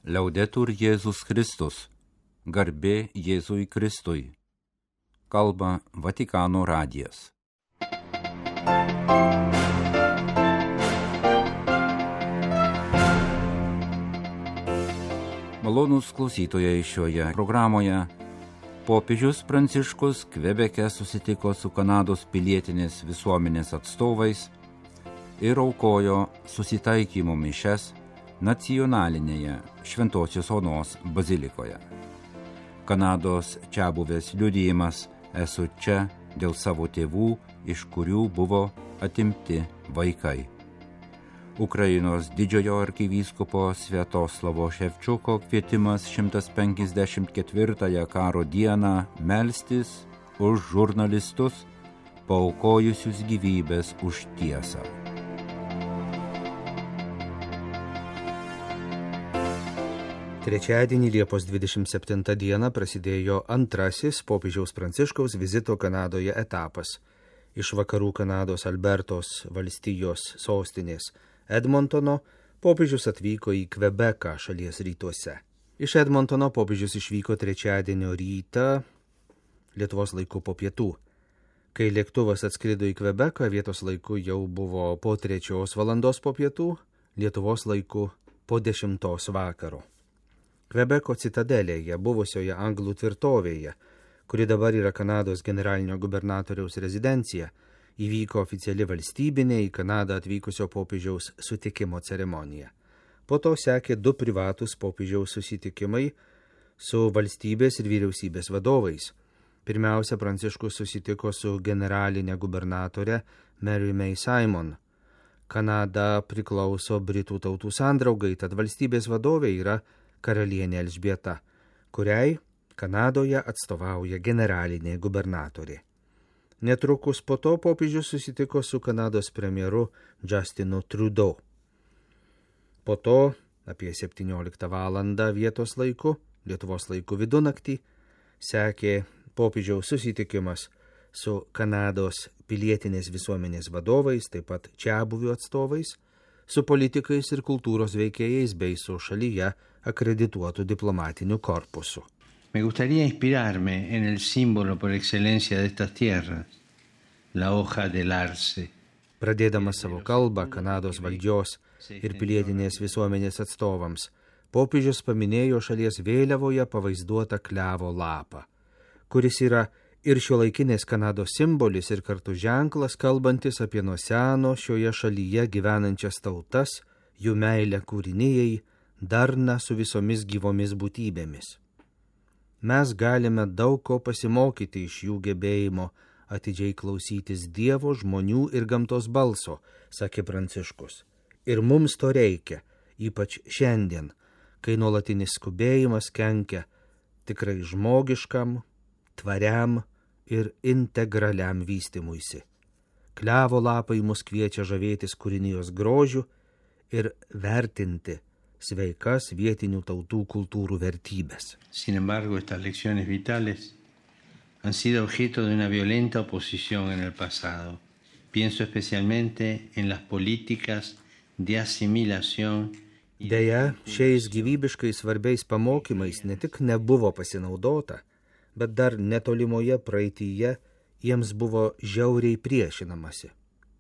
Liaudetur Jėzus Kristus, garbė Jėzui Kristui. Kalba Vatikano radijas. Malonūs klausytojai, šioje programoje popiežius Pranciškus Kvebeke susitiko su Kanados pilietinės visuomenės atstovais ir aukojo susitaikymo mišias nacionalinėje Šventosios Onos bazilikoje. Kanados čiabuvės liudijimas esu čia dėl savo tėvų, iš kurių buvo atimti vaikai. Ukrainos didžiojo arkivyskupo Sviatoslavo Ševčiuko kvietimas 154 karo dieną melstis už žurnalistus, paaukojusius gyvybės už tiesą. Trečiadienį Liepos 27 dieną prasidėjo antrasis popiežiaus Pranciškaus vizito Kanadoje etapas. Iš vakarų Kanados Albertos valstijos sostinės Edmontono popiežius atvyko į Kvebeką šalies rytuose. Iš Edmontono popiežius išvyko trečiadienio rytą Lietuvos laiku po pietų. Kai lėktuvas atskrido į Kvebeką, vietos laiku jau buvo po 3 valandos po pietų, Lietuvos laiku po 10 vakaro. Kvebeko citadelėje, buvusioje anglų tvirtovėje, kuri dabar yra Kanados generalinio gubernatoriaus rezidencija, įvyko oficiali valstybinė į Kanadą atvykusio popiežiaus sutikimo ceremonija. Po to sekė 2 privatūs popiežiaus susitikimai su valstybės ir vyriausybės vadovais. Pirmiausia, Pranciškus susitiko su generalinė gubernatore Mary May Simon. Kanada priklauso Britų tautų sandraugai, tad valstybės vadovė yra karalienė Elžbieta, kuriai Kanadoje atstovauja generalinė gubernatorė. Netrukus po to popiežius susitiko su Kanados premjeru Justinu Trudeau. Po to, apie 17 valandą vietos laiku, Lietuvos laiku vidunaktį, sekė popiežiaus susitikimas su Kanados pilietinės visuomenės vadovais, taip pat čiabuvių atstovais, su politikais ir kultūros veikėjais bei su šalyje akredituotų diplomatiniu korpusu. Me gustaría inspirarme en el símbolo por excelencia de estas tierras, la hoja del arce. Pradėdamas savo kalbą Kanados valdžios ir pilietinės visuomenės atstovams, popiežius paminėjo šalies vėliavoje pavaizduotą klevo lapą, kuris yra ir šiuolaikinės Kanados simbolis ir kartu ženklas, kalbantis apie nuo seno šioje šalyje gyvenančias tautas, jų meilę kūrinijai, darną su visomis gyvomis būtybėmis. Mes galime daug ko pasimokyti iš jų gebėjimo atidžiai klausytis Dievo, žmonių ir gamtos balso, sakė Pranciškus. Ir mums to reikia, ypač šiandien, kai nuolatinis skubėjimas kenkia tikrai žmogiškam, tvariam ir integraliam vystymuisi. Klevo lapai mus kviečia žavėtis kūrinijos grožiu ir vertinti sveikas vietinių tautų kultūrų vertybės. Sin embargo, estas lecciones vitales han sido objeto de una violenta oposición en el pasado. Pienso especialmente en las políticas de asimilación. Deja, šiais gyvybiškai svarbiais pamokymais ne tik nebuvo pasinaudota, bet dar netolimoje praeityje jiems buvo žiauriai priešinamasi.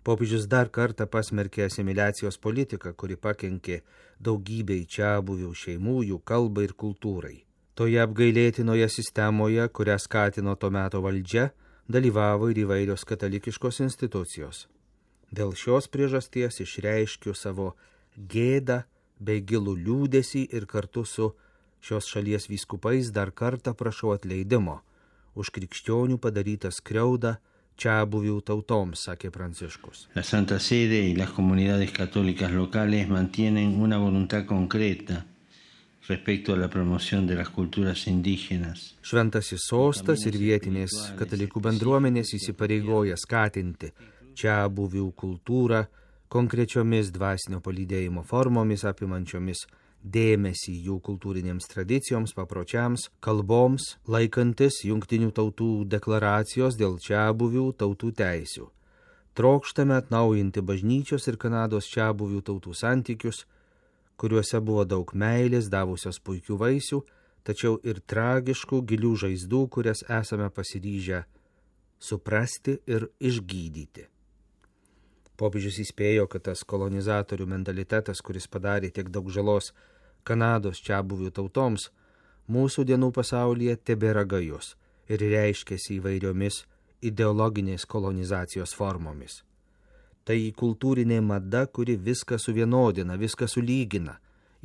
Popiežius dar kartą pasmerkė asimiliacijos politiką, kuri pakenkė daugybei čiabuvių šeimų, jų kalbai ir kultūrai. Toje apgailėtinoje sistemoje, kurią skatino to meto valdžia, dalyvavo ir įvairios katalikiškos institucijos. Dėl šios priežasties išreiškiu savo gėdą bei gilų liūdesį ir kartu su šios šalies vyskupais dar kartą prašau atleidimo už krikščionių padarytą skriaudą čiabuvių tautoms, sakė Pranciškus. La Santa Sede y las comunidades católicas locales mantienen una voluntad concreta respecto a la promoción de las culturas indígenas. Šventasis sostas ir vietinės katalikų bendruomenės įsipareigoja skatinti čiabuvių kultūrą konkrečiomis dvasinio palydėjimo formomis apimančiomis dėmesį jų kultūrinėms tradicijoms, papročiams, kalboms, laikantis Jungtinių tautų deklaracijos dėl čiabuvių tautų teisių. Trokštame atnaujinti bažnyčios ir Kanados čiabuvių tautų santykius, kuriuose buvo daug meilės, davusios puikių vaisių, tačiau ir tragiškų gilių žaizdų, kurias esame pasiryžę suprasti ir išgydyti. Popiežius įspėjo, kad tas kolonizatorių mentalitetas, kuris padarė tiek daug žalos Kanados čiabuvių tautoms, mūsų dienų pasaulyje tebėra gajus ir reiškiasi įvairiomis ideologinės kolonizacijos formomis. Tai kultūrinė mada, kuri viską suvienodina, viską sulygina,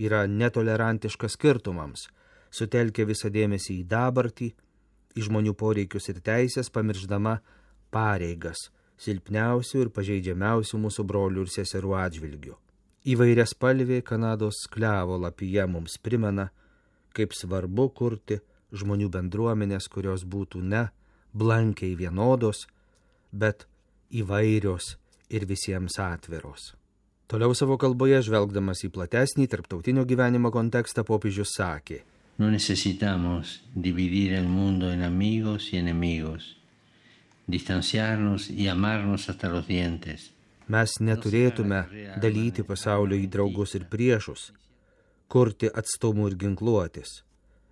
yra netolerantiška skirtumams, sutelkia visą dėmesį į dabartį, į žmonių poreikius ir teisės, pamiršdama pareigas silpniausių ir pažeidžiamiausių mūsų brolių ir seserų atžvilgių. Įvairiaspalvė Kanados sklevo lapija mums primena, kaip svarbu kurti žmonių bendruomenės, kurios būtų ne blankiai vienodos, bet įvairios ir visiems atviros. Toliau savo kalboje, žvelgdamas į platesnį tarptautinio gyvenimo kontekstą, popiežius sakė: No necesitamos dividir el mundo en amigos y enemigos, distanciarnos y amarnos hasta los dientes. Mes neturėtume dalyti pasaulio į draugus ir priešus, kurti atstumų ir ginkluotis.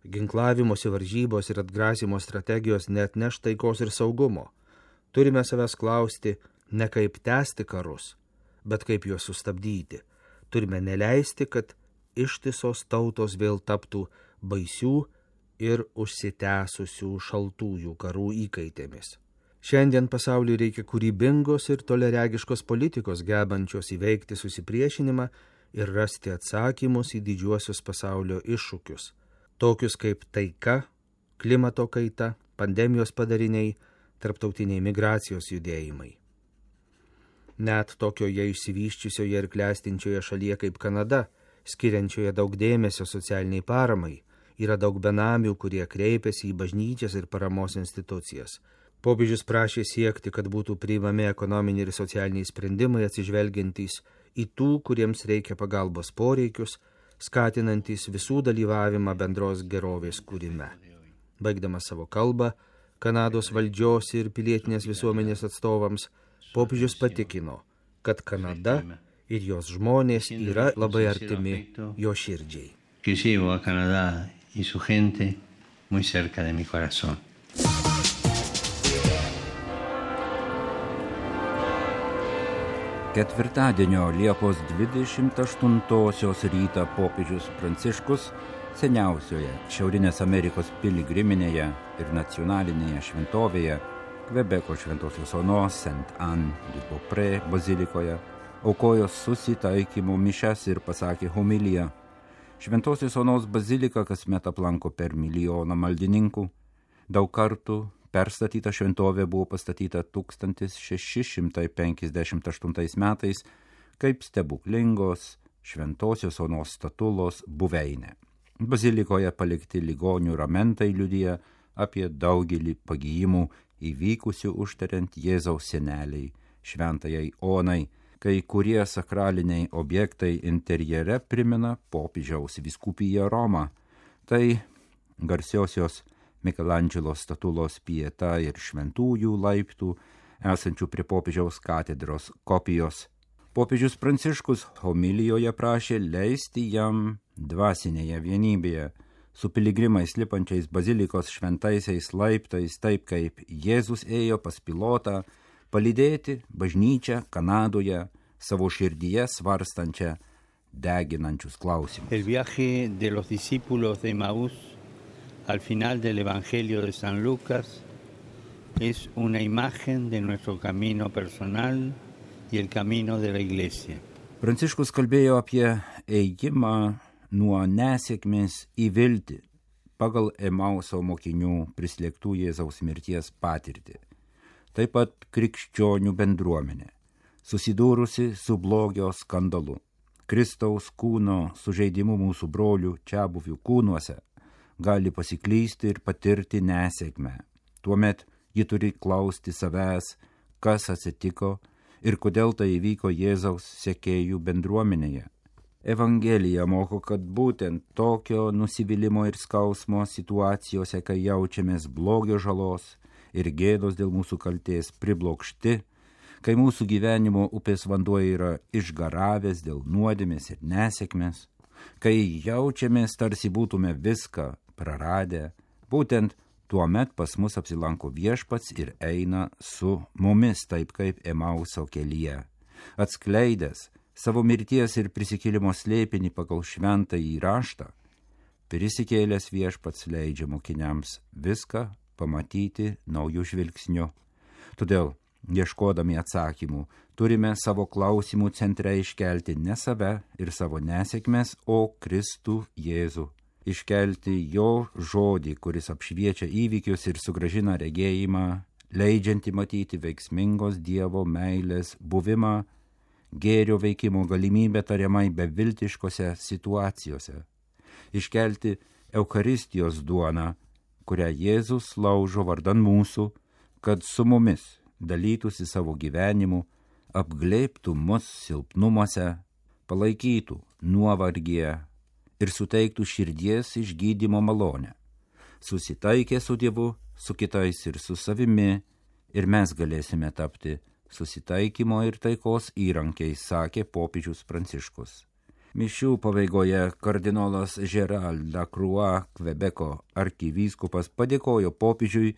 Ginklavimosi varžybos ir atgrasimo strategijos neatneš taikos ir saugumo. Turime savęs klausti ne kaip tęsti karus, bet kaip juos sustabdyti. Turime neleisti, kad ištisos tautos vėl taptų baisių ir užsitęsusių šaltųjų karų įkaitėmis. Šiandien pasauliui reikia kūrybingos ir toleregiškos politikos, gebančios įveikti susipriešinimą ir rasti atsakymus į didžiuosius pasaulio iššūkius, tokius kaip taika, klimato kaita, pandemijos padariniai, tarptautiniai migracijos judėjimai. Net tokioje išsivyščiusioje ir klestinčioje šalyje kaip Kanada, skiriančioje daug dėmesio socialiniai paramai, yra daug benamių, kurie kreipiasi į bažnyčias ir paramos institucijas. Popiežius prašė siekti, kad būtų priimami ekonominiai ir socialiniai sprendimai atsižvelgiantys į tų, kuriems reikia pagalbos poreikius, skatinantys visų dalyvavimą bendros gerovės kūrime. Baigdamas savo kalbą, Kanados valdžios ir pilietinės visuomenės atstovams, popiežius patikino, kad Kanada ir jos žmonės yra labai artimi jo širdžiai. Que llevo a Canadá y su gente muy cerca de mi corazón. Ketvirtadienio Liepos 28 rytą popiežius Pranciškus seniausioje Šiaurinės Amerikos piligriminėje ir nacionalinėje šventovėje Kvebeko Šventosios Onos Saint-Anne-du-Beaupré bazilikoje aukojo susitaikymo mišias ir pasakė homiliją. Šventosios Onos bazilika kasmet aplanko per 1 milijoną maldininkų. Daug kartų perstatyta šventovė buvo pastatyta 1658 metais kaip stebuklingos Šventosios Onos statulos buveinė. Bazilikoje palikti ligonių ramentai liudija apie daugelį pagijimų įvykusių užtariant Jėzaus seneliai, šventajai Onai, kai kurie sakraliniai objektai interjere primena popiežiaus vyskupiją Romą. Tai garsiosios Mikelandželo statulos Pieta ir šventųjų laiptų, esančių prie popiežiaus katedros kopijos. Popiežius Pranciškus homilijoje prašė leisti jam dvasinėje vienybėje, su piligrimais lipančiais bazilikos šventaisiais laiptais, taip kaip Jėzus ėjo pas pilotą, palydėti bažnyčią Kanadoje, savo širdyje svarstančią deginančius klausimus. El viaje de los discípulos de Emaús al final del Evangelio de San Lucas es una imagen de nuestro camino personal y el camino de la Iglesia. Pranciškus kalbėjo apie ėjimą nuo nesėkmės į viltį pagal Emauso mokinių prislėgtų Jėzaus mirties patirtį. Taip pat krikščionių bendruomenė, susidūrusi su blogio skandalu, Kristaus kūno sužeidimu mūsų brolių čiabuvių kūnuose, gali pasiklysti ir patirti nesėkmę. Tuomet ji turi klausti savęs, kas atsitiko ir kodėl tai įvyko Jėzaus sekėjų bendruomenėje. Evangelija moko, kad būtent tokio nusivylimo ir skausmo situacijose, kai jaučiamės blogio žalos ir gėdos dėl mūsų kaltės priblokšti, kai mūsų gyvenimo upės vanduo yra išgaravęs dėl nuodėmės ir nesėkmės, Kai jaučiamės, tarsi būtume viską praradę, būtent tuomet pas mus apsilanko Viešpats ir eina su mumis, taip kaip Emauso kelyje. Atskleidęs savo mirties ir prisikėlimo slėpinį pagal šventąjį raštą, prisikėlęs Viešpats leidžia mokiniams viską pamatyti naujų žvilgsnių. Todėl, ieškodami atsakymų, turime savo klausimų centre iškelti ne save ir savo nesėkmes, o Kristų Jėzų. Iškelti jo žodį, kuris apšviečia įvykius ir sugrąžina regėjimą, leidžianti matyti veiksmingos Dievo meilės buvimą, gėrio veikimo galimybę tariamai beviltiškose situacijose. Iškelti Eucharistijos duoną, kurią Jėzus laužo vardan mūsų, kad su mumis dalytųsi savo gyvenimu, apglėbtų mus silpnumuose, palaikytų nuovargyje ir suteiktų širdies išgydymo malonę. Susitaikę su Dievu, su kitais ir su savimi, ir mes galėsime tapti susitaikymo ir taikos įrankiais, sakė popiežius Pranciškus. Mišių pabaigoje kardinolas Gerald Lacroix, Kvebeko arkivyskupas, padėkojo popiežiui,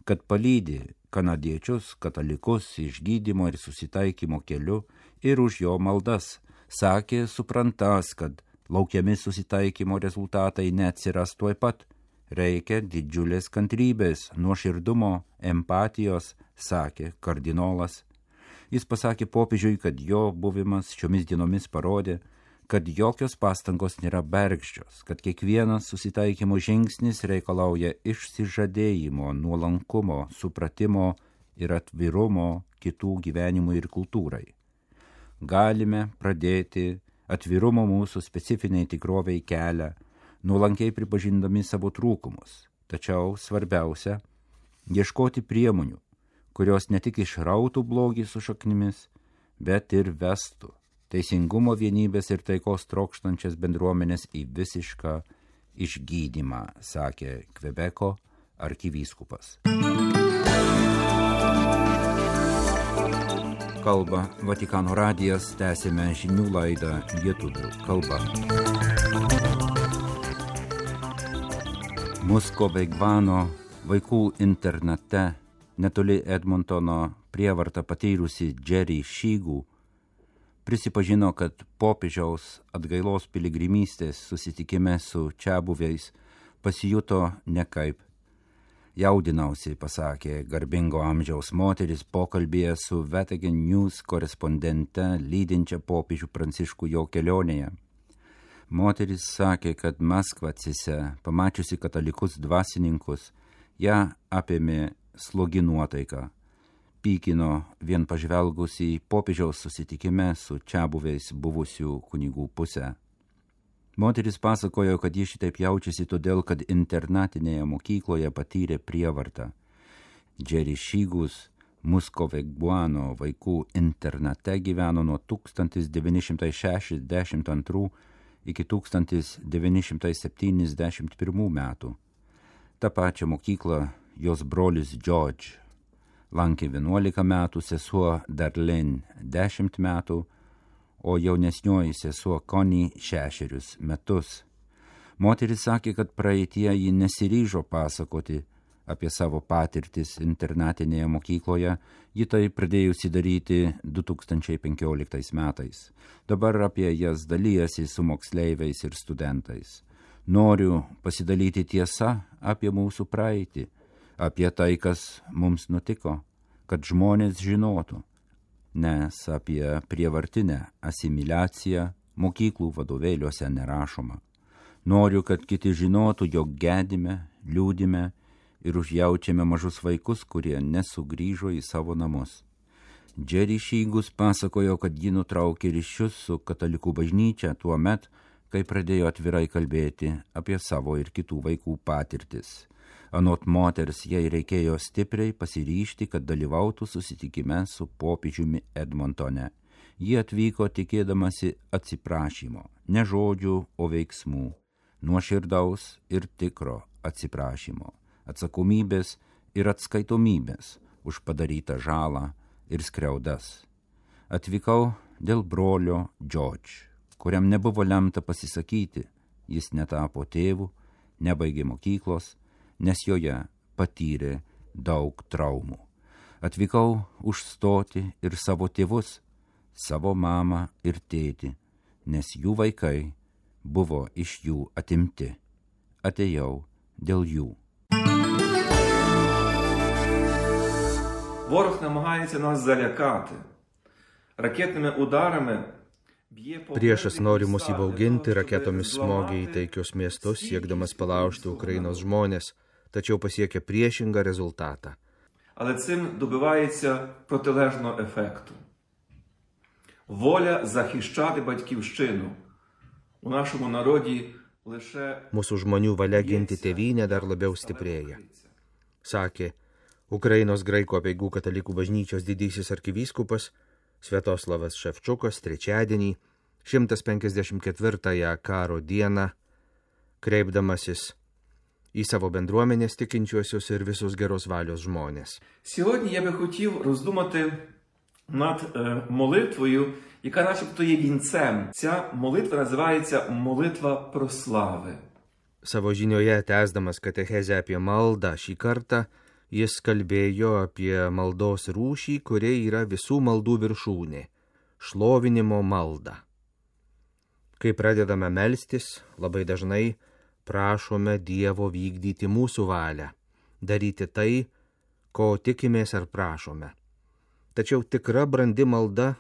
kad palydi kanadiečius katalikus išgydymo ir susitaikymo keliu ir už jo maldas. Sakė, suprantas, kad laukiami susitaikymo rezultatai neatsiras tuoj pat. Reikia didžiulės kantrybės, nuoširdumo, empatijos, sakė kardinolas. Jis pasakė popiežiui, kad jo buvimas šiomis dienomis parodė, kad jokios pastangos nėra bergždžios, kad kiekvienas susitaikymo žingsnis reikalauja išsižadėjimo, nuolankumo, supratimo ir atvirumo kitų gyvenimui ir kultūrai. Galime pradėti atvirumo mūsų specifiniai tikroviai kelią, nuolankiai pripažindami savo trūkumus, tačiau svarbiausia – ieškoti priemonių, kurios ne tik išrautų blogį su šaknimis, bet ir vestų teisingumo, vienybės ir taikos trokštančias bendruomenės į visišką išgydymą, sakė Kvebeko arkivyskupas. Kalba Vatikano radijas, tęsime žinių laidą lietuvių kalba. Muskovegvano vaikų internate netoli Edmontono prievartą patyrusi Jerry Šygų prisipažino, kad popiežiaus atgailos piligrimystės susitikime su čiabuviais pasijuto nekaip. Jaudinausi, pasakė garbingo amžiaus moteris pokalbėje su Vatican News korespondente lydinčia popiežių Pranciškų jo kelionėje. Moteris sakė, kad Maskvacise, pamačiusi katalikus dvasininkus, ją apėmė slogi nuotaika. Pykino vien pažvelgus į popiežiaus susitikime su čiabuviais buvusių kunigų pusę. Moteris pasakojo, kad ji šitaip jaučiasi todėl, kad internatinėje mokykloje patyrė prievartą. Jerry Šygus Muskovegvano vaikų internate gyveno nuo 1962 iki 1971 metų. Ta pačia mokykla jos brolis George lankė 11 metų, sesuo Darlene 10 metų, o jaunesnioji sesuo Connie 6 metus. Moteris sakė, kad praeitie ji nesiryžo pasakoti apie savo patirtis internatinėje mokykloje, ji tai pradėjusi daryti 2015 metais. Dabar apie jas dalijasi su moksleiviais ir studentais. Noriu pasidalyti tiesą apie mūsų praeitį, apie tai, kas mums nutiko, kad žmonės žinotų, nes apie prievartinę asimiliaciją mokyklų vadovėliuose nerašoma. Noriu, kad kiti žinotų, jog gedime, liūdime ir užjaučiame mažus vaikus, kurie nesugrįžo į savo namus. Jerry Šygus pasakojo, kad ji nutraukė ryšius su katalikų bažnyčia tuo met, kai pradėjo atvirai kalbėti apie savo ir kitų vaikų patirtis. Anot moters, jai reikėjo stipriai pasiryžti, kad dalyvautų susitikime su popiežiumi Edmontone. Ji atvyko tikėdamasi atsiprašymo, ne žodžių, o veiksmų, nuoširdaus ir tikro atsiprašymo, atsakomybės ir atskaitomybės už padarytą žalą ir skriaudas. Atvykau dėl brolio George, kuriam nebuvo lemta pasisakyti, jis netapo tėvu, nebaigė mokyklos, nes joje patyrė daug traumų. Atvykau užstoti ir savo tėvus, savo mamą ir tėtį, nes jų vaikai buvo iš jų atimti. Atėjau dėl jų. Ворог намагається нас залякати. Ракетними ударами Priešas nori mus įbauginti, raketomis smogia į taikius miestus, siekdamas palaužti Ukrainos žmonės, tačiau pasiekia priešingą rezultatą. Але цим добивається протилежного ефекту. Воля захищати батьківщину у нашому народі лише... Mūsų žmonių valia ginti tėvynę dar labiau stiprėja. Sakė Ukrainos graikų apeigų katalikų bažnyčios didysis arkivyskupas Sviatoslavas Ševčukas trečiadienį, 154-ąją karo dieną, kreipdamasis į savo bendruomenės tikinčiuosius і visus geros valios žmonės. Сьогодні я би хотів роздумати над молитвою, яка начебто є вінцем. Ця молитва називається молитва прослави. Savo žinioje tęsdamas katechezę apie maldą šį kartą, jis kalbėjo apie maldos rūšį, kuri yra visų maldų viršūnė – šlovinimo malda. Kai pradedame melstis, labai dažnai prašome Dievo vykdyti mūsų valią, daryti tai, ko tikimės ar prašome. Tačiau tikra brandi malda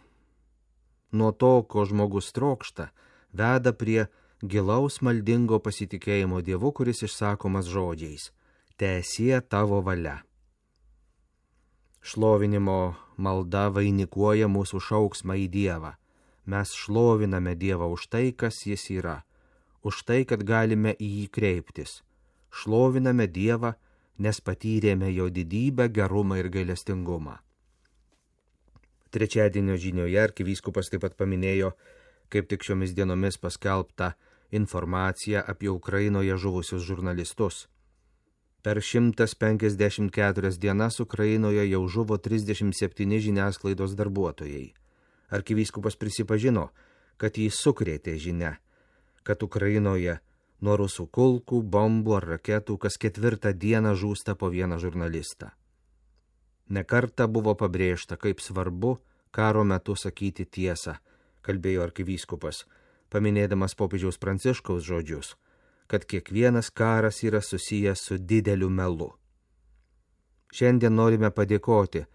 nuo to, ko žmogus trokšta, veda prie gilaus maldingo pasitikėjimo Dievu, kuris išsakomas žodžiais – teesie tavo valia. Šlovinimo malda vainikuoja mūsų šauksmą į Dievą. Mes šloviname Dievą už tai, kas jis yra, už tai, kad galime į jį kreiptis. Šloviname Dievą, nes patyrėme jo didybę, gerumą ir gailestingumą. Trečiadienio žinioje arkivyskupas taip pat paminėjo, kaip tik šiomis dienomis paskelbta informacija apie Ukrainoje žuvusius žurnalistus. Per 154 dienas Ukrainoje jau žuvo 37 žiniasklaidos darbuotojai. Arkivyskupas prisipažino, kad jį sukrėtė žinia, kad Ukrainoje nuo rusų kulkų, bombų ar raketų kas 4 dieną žūsta po vieną žurnalistą. Nekartą buvo pabrėžta, kaip svarbu karo metu sakyti tiesą, kalbėjo arkivyskupas, paminėdamas popiežiaus Pranciškaus žodžius, kad kiekvienas karas yra susijęs su dideliu melu. Šiandien norime padėkoti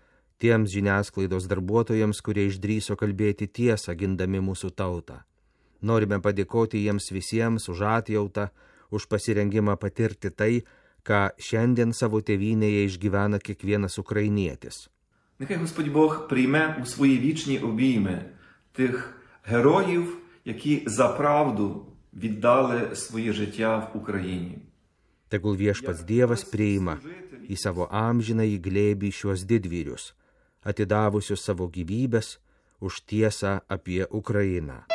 tiems žiniasklaidos darbuotojams, kurie išdrįso kalbėti tiesą, gindami mūsų tautą. Norime padėkoti jiems visiems už atjautą, už pasirengimą patirti tai, ką šiandien savo tėvynėje išgyvena kiekvienas ukrainietis. Нехай Господь Бог прийме у свої вічні обійми тих героїв, які за правду віддали своє життя в Україні. Tegul viešpats Dievas priima į savo amžinąjį glėbį šiuos didvyrius, atidavusius savo gyvybės už tiesą apie Ukrainą.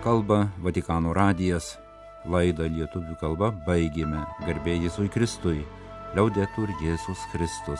Kalba Vatikano radijas, laidą lietuvių kalba baigėme. Garbė Jėzui Kristui, liaudetur Jėzus Kristus.